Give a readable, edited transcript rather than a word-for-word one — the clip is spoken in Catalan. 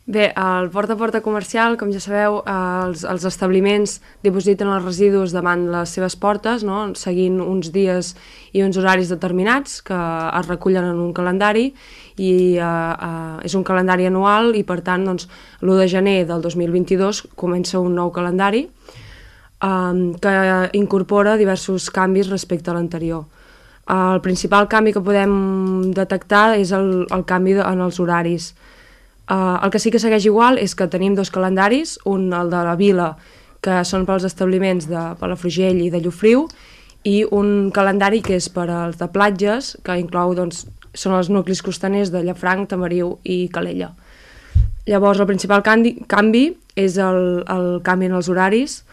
Bé, el porta a porta comercial, com ja sabeu, els establiments dipositen els residus davant les seves portes, no? Seguint uns dies i uns horaris determinats que es recullen en un calendari i és un calendari anual i per tant doncs, l'1 de gener del 2022 comença un nou calendari que incorpora diversos canvis respecte a l'anterior. El principal canvi que podem detectar és el canvi en els horaris. El que sí que segueix igual és que tenim dos calendaris, un el de la vila, que són pels establiments de Palafrugell i de Llofriu, i un calendari que és per als de platges, que inclou, doncs, són els nuclis costaners de Llafranc, Tamariu i Calella. Llavors, el principal canvi és el canvi en els horaris,